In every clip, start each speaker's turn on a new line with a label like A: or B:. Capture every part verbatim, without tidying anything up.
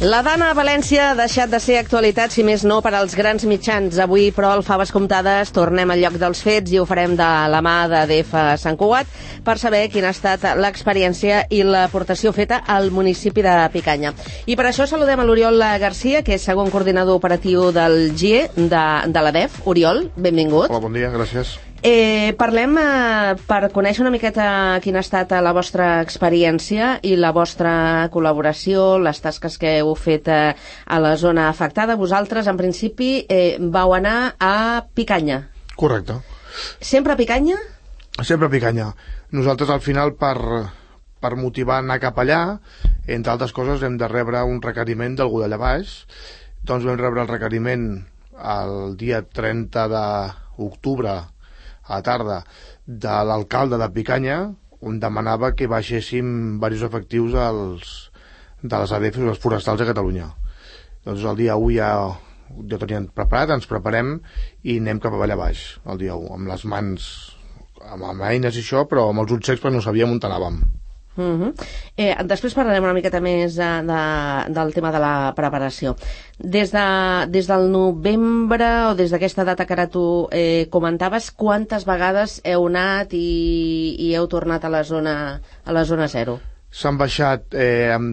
A: La Dana a València ha deixat de ser actualitat, si més no, per als grans mitjans. Avui, però, al Faves Comptades tornem al lloc dels fets i ho farem de la mà de D F Sant Cugat per saber quina ha estat l'experiència i l'aportació feta al municipi de Picanya. I per això saludem a l'Oriol Garcia, que és segon coordinador operatiu del G I E de, de la D E F. Oriol, benvingut.
B: Hola, bon dia, gràcies.
A: Eh, parlem eh, per conèixer una miqueta quina ha estat la vostra experiència i la vostra col·laboració, les tasques que heu fet eh, a la zona afectada. Vosaltres, en principi, eh, vau anar a Picanya.
B: Correcte.
A: Sempre a Picanya?
B: Sempre a Picanya. Nosaltres, al final, per, per motivar a anar cap allà, entre altres coses, hem de rebre un requeriment d'algú d'allà baix. Doncs vam rebre el requeriment el dia trenta d'octubre a la tarda de l'alcalde de Picanya, on demanava que baixéssim diversos efectius dels, de les A D Fs, dels forestals de Catalunya. Doncs el dia u ja ja tenien preparat, ens preparem i anem cap allà baix el dia u, amb les mans, amb, amb eines i això, però amb els ulls secs perquè no sabíem on anàvem.
A: Uh-huh. eh, després parlarem una miqueta més de, de, del tema de la preparació. Des, de, des del novembre o des d'aquesta data que ara tu eh, comentaves, quantes vegades heu anat i, i heu tornat a la zona, a la zona zero?
B: S'han baixat eh, en,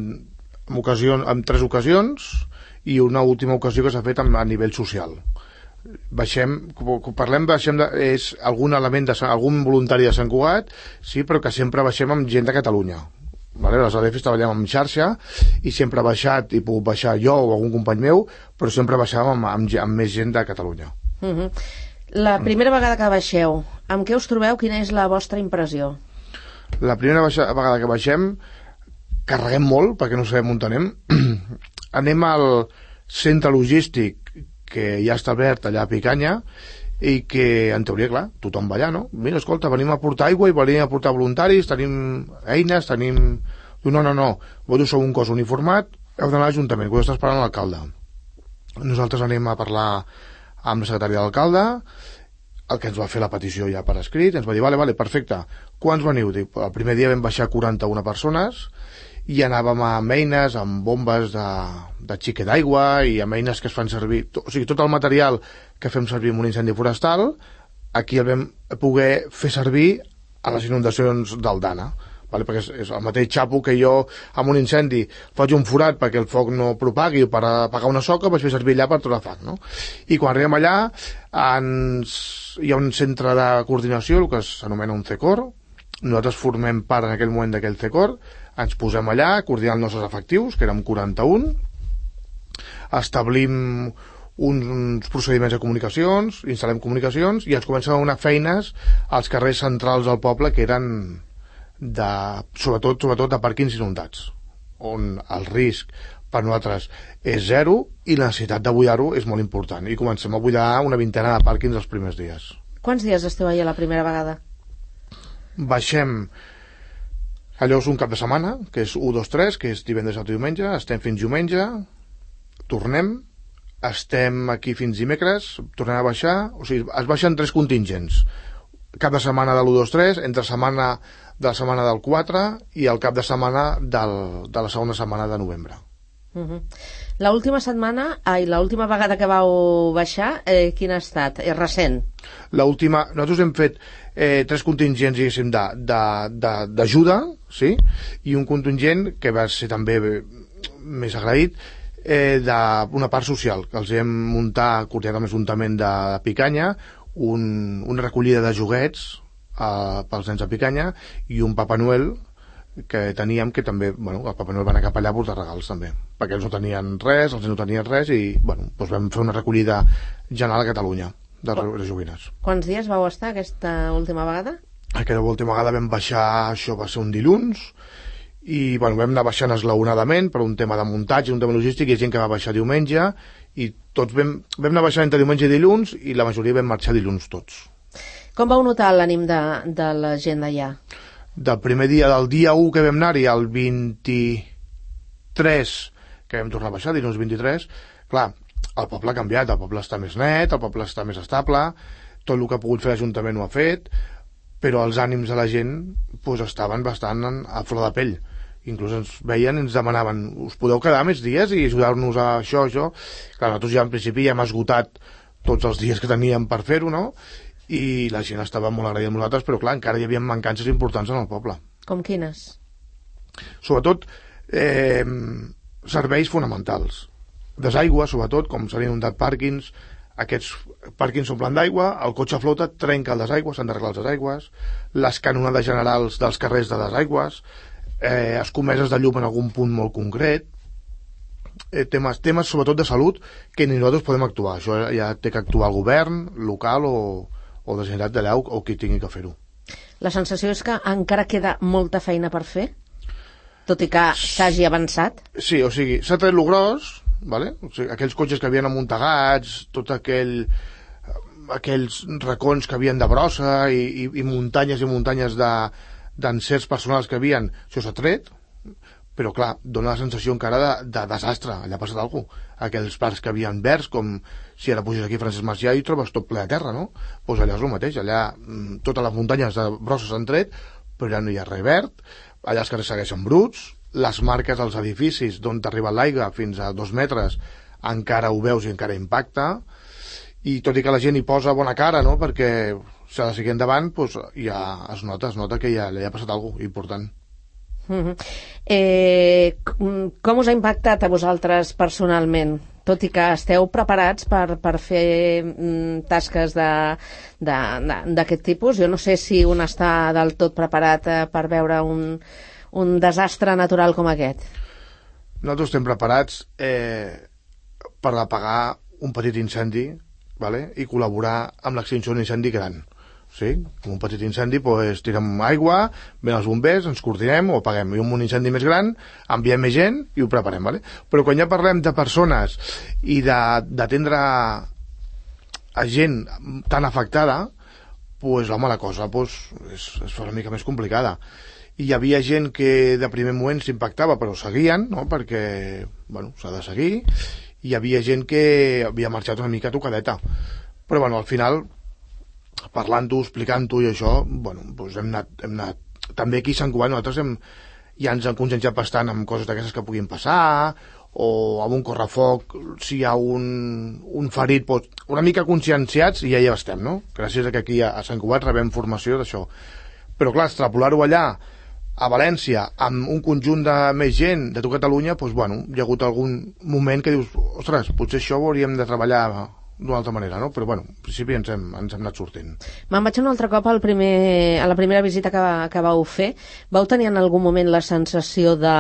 B: en, ocasió, en tres ocasions i una última ocasió que s'ha fet a nivell social. Baixem, parlem, baixem de, és algun element de algun voluntari de Sant Cugat, sí, però que sempre baixem amb gent de Catalunya. Vale? Les A D Fs treballem amb xarxa i sempre he baixat, i puc baixar jo o algun company meu, però sempre baixàvem amb, amb, amb més gent de Catalunya.
A: Uh-huh. La primera vegada que baixeu, amb què us trobeu? Quina és la vostra impressió?
B: La primera baixa, vegada que baixem, carreguem molt, perquè no sabem on anem. Anem al centre logístic que ja està obert allà a Picanya i que, en teoria, clar, tothom va allà, no? Mira, escolta, venim a portar aigua i venim a portar voluntaris, tenim eines, tenim... No, no, no, vosaltres sou un cos uniformat, heu d'anar a l'Ajuntament, que ho està esperant l'alcalde. Nosaltres anem a parlar amb la secretària de l'alcalde, el que ens va fer la petició ja per escrit, ens va dir, vale, vale, perfecte, quants veniu? Dic, el primer dia vam baixar quaranta-una persones i anàvem amb eines, amb bombes de, de xique d'aigua i amb eines que es fan servir, to, o sigui, tot el material que fem servir en un incendi forestal, aquí el vam poder fer servir a les inundacions del Dana, vale? Perquè és, és el mateix xapo que jo amb un incendi faig un forat perquè el foc no propagui o per apagar una soca, vaig fer servir allà per trobar foc, no? I quan arribem allà ens, hi ha un centre de coordinació, el que s'anomena un C E C O R, nosaltres formem part en aquell moment d'aquell C E C O R, ens posem allà, coordinant els nostres efectius, que érem quaranta-un, establim uns procediments de comunicacions, instal·lem comunicacions i ens comencem a donar feines als carrers centrals del poble que eren de, sobretot, sobretot de pàrquings inundats, on el risc per nosaltres és zero i la necessitat de buidar-ho és molt important. I comencem a buidar una vintena de pàrquings els primers dies.
A: Quants dies esteu allà la primera vegada?
B: Baixem, allò és un cap de setmana, que és u, dos, tres, que és divendres i diumenge, estem fins diumenge, tornem, estem aquí fins dimecres, tornem a baixar, o sigui, es baixen tres contingents, cap de setmana de l'u, dos, tres, entre setmana de la setmana del quatre i el cap de setmana del, de la segona setmana de novembre.
A: Uh-huh. L'última setmana, ai, l'última vegada que vau baixar, eh, quina ha estat? És recent?
B: L'última, nosaltres hem fet eh, tres contingents, diguéssim, d'ajuda, sí? I un contingent que va ser també més agraït, eh, d'una part social, que els hem muntat, coordinat amb l'Ajuntament de Picanya, un, una recollida de joguets eh, pels nens de Picanya i un Papa Noel que teníem, que també, bueno, el Papa Noel va anar cap allà a portar regals també, perquè ells no tenien res, els no tenien res i, bueno, doncs vam fer una recollida general a Catalunya de, de joguines.
A: Quants dies vau estar aquesta última vegada?
B: Aquesta última vegada vam baixar, això va ser un dilluns, i, bueno, vam anar baixant esglaonadament per un tema de muntatge, un tema logístic, i hi ha gent que va baixar diumenge, i tots vam, vam anar baixant entre diumenge i dilluns, i la majoria vam marxar dilluns tots.
A: Com vau notar l'ànim de, de la gent d'allà?
B: Del primer dia, del dia u que vam anar-hi al vint-i-tres, que vam tornar a baixar, dilluns vint-i-tres, clar, el poble ha canviat, el poble està més net, el poble està més estable, tot el que ha pogut fer l'Ajuntament ho ha fet, però els ànims de la gent pues, estaven bastant a flor de pell, inclús ens veien i ens demanaven, us podeu quedar més dies i ajudar-nos a això, això. Clar, nosaltres ja en principi ja hem esgotat tots els dies que teníem per fer-ho, no? I la gent estava molt agraïda amb nosaltres, però clar, encara hi havia mancances importants en el poble.
A: Com quines?
B: Sobretot eh, serveis fonamentals. Desaigua, sobretot, com s'han inundat pàrquings, aquests pàrquings s'omplen d'aigua, el cotxe flota, trenca el desaigua, s'han d'arreglar els desaigües, les canonades generals dels carrers de desaigües, eh, escomeses de llum en algun punt molt concret, eh, temes, temes sobretot de salut que ni nosaltres podem actuar. Això ja té que actuar el govern local o, o de Generalitat d'allà o qui tingui que fer-ho.
A: La sensació és que encara queda molta feina per fer, tot i que s'hagi avançat?
B: Sí, o sigui, s'ha tret lo gros, vale? O sigui, aquells cotxes que havien amuntegats, tot aquell aquells racons que havien de brossa i, i, i muntanyes i muntanyes d'encerts personals que havien, això s'ha tret, però clar, dona la sensació encara de, de desastre, allà ha passat alguna cosa. Aquells parcs que havien verds, com si ara puges aquí a Francesc Macià i trobes tot ple de terra, no? Doncs allà és el mateix, allà totes les muntanyes de brossa s'han tret, però ja no hi ha res verd, allà els carrers segueixen bruts, les marques als edificis d'on t'arriba l'aigua fins a dos metres encara ho veus i encara impacta, i tot i que la gent hi posa bona cara, no?, perquè s'ha de seguir endavant, doncs ja es nota, es nota que ja, ja ha passat alguna cosa important.
A: Uh-huh. eh, com us ha impactat a vosaltres personalment, tot i que esteu preparats per, per fer mm, tasques d'aquest tipus? Jo no sé si un està del tot preparat eh, per veure un, un desastre natural com aquest.
B: Nosaltres estem preparats eh, per apagar un petit incendi, vale? I col·laborar amb l'extinció d'un incendi gran. Sí, com un petit incendi, doncs tirem aigua, ven els bombers, ens coordinem o apaguem. I un incendi més gran, enviem més gent i ho preparem, vale? Però quan ja parlem de persones i d'atendre a gent tan afectada, doncs home, la cosa doncs, és, és una mica més complicada. I hi havia gent que de primer moment s'impactava, però seguien, no?, perquè, bueno, s'ha de seguir. Hi havia gent que havia marxat una mica tocadeta. Però, bueno, al final, parlant-ho, explicant-ho i això, bueno, doncs hem anat, hem anat... També aquí a Sant Cugat nosaltres hem, ja ens hem conscienciat bastant amb coses d'aquestes que puguin passar, o amb un correfoc, si hi ha un, un ferit, doncs, una mica conscienciats i ja hi estem, no? Gràcies a que aquí a Sant Cugat rebem formació d'això. Però clar, extrapolar-ho allà, a València, amb un conjunt de més gent de tot Catalunya, doncs, bueno, hi ha hagut algun moment que dius, ostres, potser això ho hauríem de treballar d'una altra manera, no? Però bueno, en principi ens hem, ens hem anat sortint.
A: Me'n vaig un altre cop al primer, a la primera visita que, que vau fer. Vau tenir en algun moment la sensació de,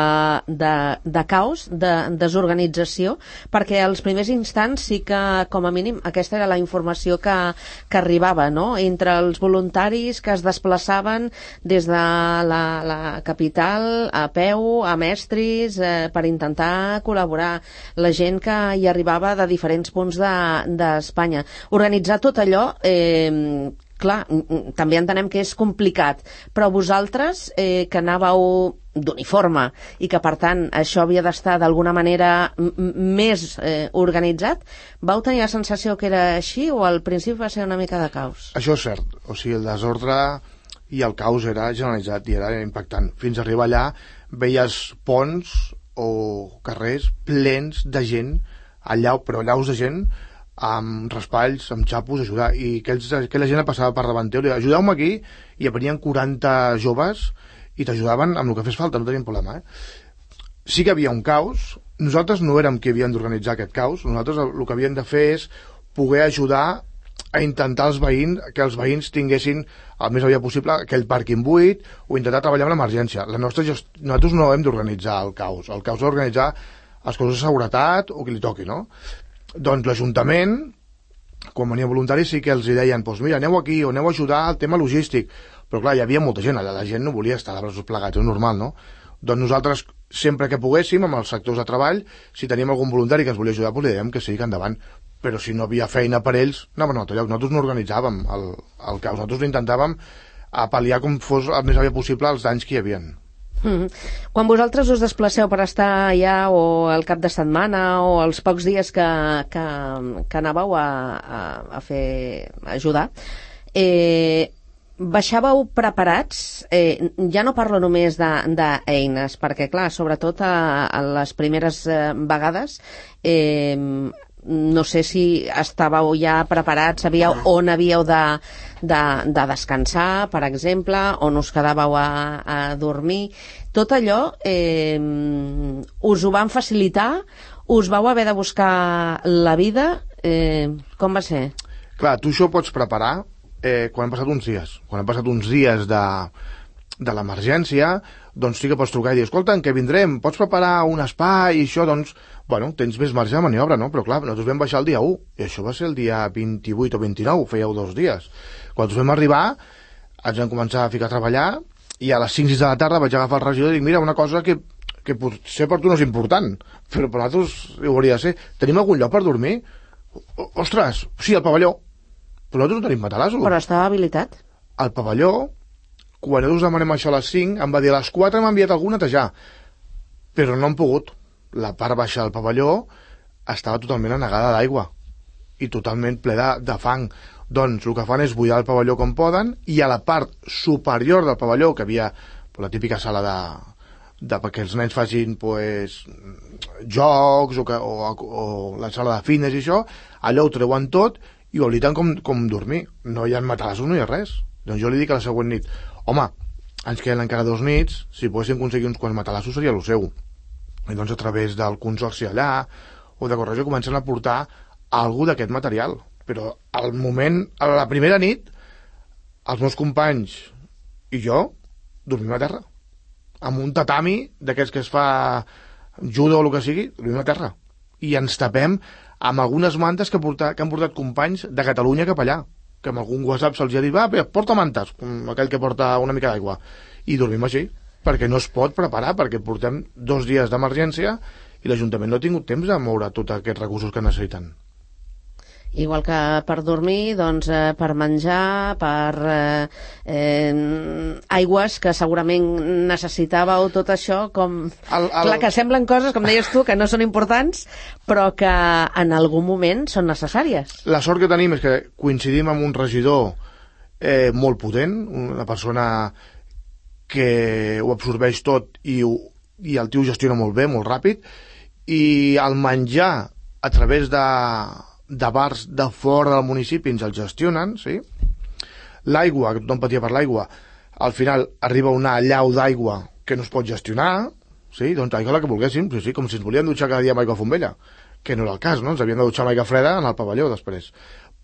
A: de, de caos, de desorganització? Perquè als primers instants sí que, com a mínim, aquesta era la informació que, que arribava, no?, entre els voluntaris que es desplaçaven des de la, la capital a peu, a Mestris, eh, per intentar col·laborar. La gent que hi arribava de diferents punts de, de Espanya. Organitzar tot allò, eh, clar, també entenem que és complicat, però vosaltres, eh, que anàveu d'uniforme i que, per tant, això havia d'estar d'alguna manera més eh, organitzat, vau tenir la sensació que era així o al principi va ser una mica de caos?
B: Això és cert. O sigui, el desordre i el caos era generalitzat i era impactant. Fins a arribar allà veies ponts o carrers plens de gent, allà, però allaus de gent, amb raspalls, amb xapos, ajudar, i aquells, aquella gent passava per davant teu, ajudeu-me aquí, i venien quaranta joves i t'ajudaven amb el que fes falta, no tenien problema, eh? Sí que havia un caos, nosaltres no érem qui havíem d'organitzar aquest caos, nosaltres el, el que havíem de fer és poder ajudar a intentar els veïns, que els veïns tinguessin el més aviat possible aquell pàrquing buit o intentar treballar amb l'emergència. La nostra gest... Nosaltres no hem d'organitzar el caos, el caos és organitzar els cossos de seguretat o qui li toqui, no? Doncs l'Ajuntament, quan venia voluntaris, sí que els deien, doncs mira, aneu aquí o aneu a ajudar al tema logístic. Però clar, hi havia molta gent, allà la gent no volia estar de braços plegats, és normal, no? Doncs nosaltres, sempre que poguéssim, amb els sectors de treball, si teníem algun voluntari que ens volia ajudar, doncs li dèiem que sí, que endavant. Però si no havia feina per ells, anaven a un altre lloc. Nosaltres no organitzàvem el, el caos, nosaltres intentàvem a pal·liar com fos el més aviat possible els danys que hi havia.
A: Mm-hmm. Quan vosaltres us desplaceu per estar allà o al cap de setmana o els pocs dies que, que, que anàveu a, a, a fer a ajudar, eh, baixàveu preparats, eh, ja no parlo només d'eines, perquè clar, sobretot a, a les primeres eh, vegades, eh, no sé si estàveu ja preparats, sabíeu on havíeu de, de, de descansar, per exemple, on us quedàveu a, a dormir. Tot allò eh, us ho van facilitar? Us vau haver de buscar la vida? Eh, com va ser?
B: Clar, tu això ho pots preparar eh, quan han passat uns dies. Quan han passat uns dies de, de l'emergència, doncs sí que pots trucar i dir, escolta, en què vindrem? Pots preparar un espai i això? Doncs, bueno, tens més marge de maniobra, no? Però clar, nosaltres vam baixar el dia u, i això va ser el dia vint-i-vuit o vint-i-nou, fèieu dos dies. Quan nosaltres vam arribar, ens vam començar a ficar a treballar, i a les cinc sis de la tarda vaig agafar el regidor i dic, mira, una cosa que, que potser per tu no és important, però per nosaltres ho hauria de ser. Tenim algun lloc per dormir? O, ostres, sí, al pavelló. Però nosaltres no tenim matalassos.
A: Però estava habilitat?
B: Al pavelló, quan nosaltres demanem això a les cinc, em va dir a les quatre m'ha enviat algú a netejar, però no han pogut. La part baixa del pavelló estava totalment anegada d'aigua i totalment ple de, de fang. Doncs el que fan és buidar el pavelló com poden, i a la part superior del pavelló, que havia la típica sala de, de perquè els nens facin pues, jocs o, que, o, o la sala de fines i això, allò ho treuen tot i ho habiliten com, com dormir. No hi ha matalassos, no hi ha res. Doncs jo li dic a la següent nit, home, ens queden encara dos nits, si poguéssim aconseguir uns quants matalassos seria el seu. I doncs a través del consorci allà o de Correjo comencen a portar alguna d'aquest material. Però al moment, a la primera nit, els meus companys i jo dormim a terra. Amb un tatami d'aquests que es fa judo o el que sigui, dormim a terra. I ens tapem amb algunes mantes que, porta, que han portat companys de Catalunya cap allà, que amb algun WhatsApp se'ls ha dit, va, porta mantes, com aquell que porta una mica d'aigua. I dormim així, perquè no es pot preparar, perquè portem dos dies d'emergència i l'Ajuntament no ha tingut temps de moure tots aquests recursos que necessiten.
A: Igual que per dormir, doncs eh, per menjar, per eh, eh, aigües que segurament necessitàveu, tot això, com... El, el... Clar, que semblen coses, com deies tu, que no són importants, però que en algun moment són necessàries.
B: La sort que tenim és que coincidim amb un regidor eh, molt potent, una persona que ho absorbeix tot i, ho, i el tio gestiona molt bé, molt ràpid, i el menjar a través de, de bars de fora del municipi ens el gestionen, sí? L'aigua, que tothom patia per l'aigua, al final arriba una llau d'aigua que no es pot gestionar, sí? Doncs aigua la que volguéssim, sí, sí, com si ens volien dutxar cada dia amb aigua fombella, que no era el cas, no? Ens havien de dutxar amb aigua freda en el pavelló després,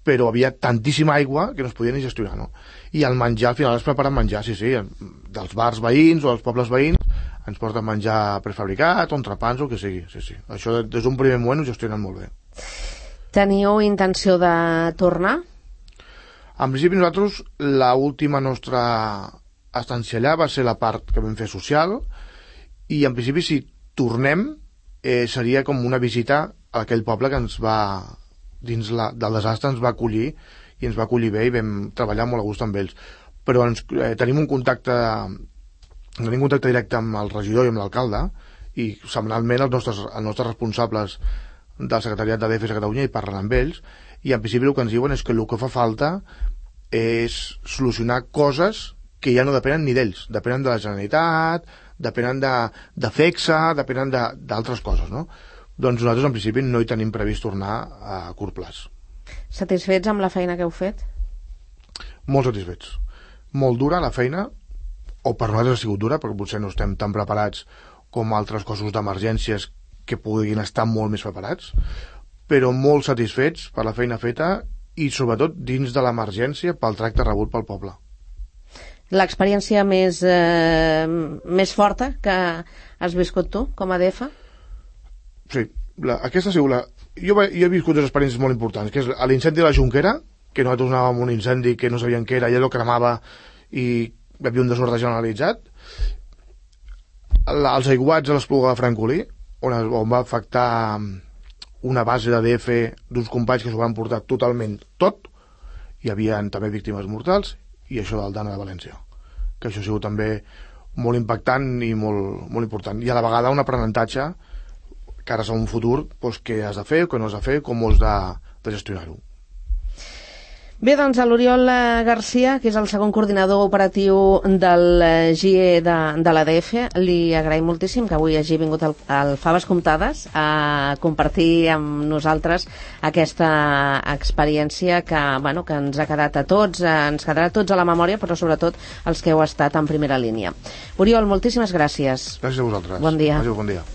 B: però havia tantíssima aigua que no es podia ni gestionar, no? I el menjar, al final es preparen menjar, sí, sí, dels bars veïns o dels pobles veïns ens porten menjar prefabricat o entrepans o el que sigui, sí, sí. Això des d'un primer moment ho gestionen molt bé.
A: Teniu intenció de tornar?
B: En principi nosaltres, l'última nostra estància allà va ser la part que vam fer social, i en principi si tornem eh, seria com una visita a aquell poble que ens va, dins la, del desastre ens va acollir, i ens va acollir bé i vam treballar molt a gust amb ells. Però ens, eh, tenim un contacte tenim un contacte directe amb el regidor i amb l'alcalde, i setmanalment els nostres, els nostres responsables del secretariat de D F S a Catalunya i parlen amb ells, i en principi el que ens diuen és que el que fa falta és solucionar coses que ja no depenen ni d'ells, depenen de la Generalitat, depenen de, de FECSA, depenen d'altres coses, no? Doncs nosaltres en principi no hi tenim previst tornar a curt plaç.
A: Satisfets amb la feina que heu fet?
B: Molt satisfets. Molt dura la feina, o per nosaltres ha sigut dura, perquè potser no estem tan preparats com altres cossos d'emergències que puguin estar molt més preparats, però molt satisfets per la feina feta i sobretot dins de l'emergència pel tracte rebut pel poble.
A: L'experiència més, eh, més forta que has viscut tu com a D F?
B: Sí, la, aquesta ha sigut la... Jo, jo he viscut dues experiències molt importants, que és l'incendi de la Jonquera, que nosaltres anàvem amb un incendi que no sabíem què era, i allò cremava i hi havia un desordre generalitzat. La, els aiguats a l'Espluga de Francolí, on, es, on va afectar una base de D F d'uns companys que s'ho van portar totalment tot, hi havia també víctimes mortals, i això del Dana de València, que això ha sigut també molt impactant i molt, molt important, i a la vegada un aprenentatge cares a un futur, doncs, què has de fer, què no has de fer, com ho has de, de gestionar-ho.
A: Bé, doncs a l'Oriol Garcia, que és el segon coordinador operatiu del G I E de, de l'A D F, li agraïm moltíssim que avui hagi vingut al, al Faves Comptades a compartir amb nosaltres aquesta experiència que, bueno, que ens ha quedat a tots, ens quedarà a tots a la memòria, però sobretot els que heu estat en primera línia. Oriol, moltíssimes gràcies.
B: Gràcies a vosaltres.
A: Bon dia.
B: Adéu, bon dia.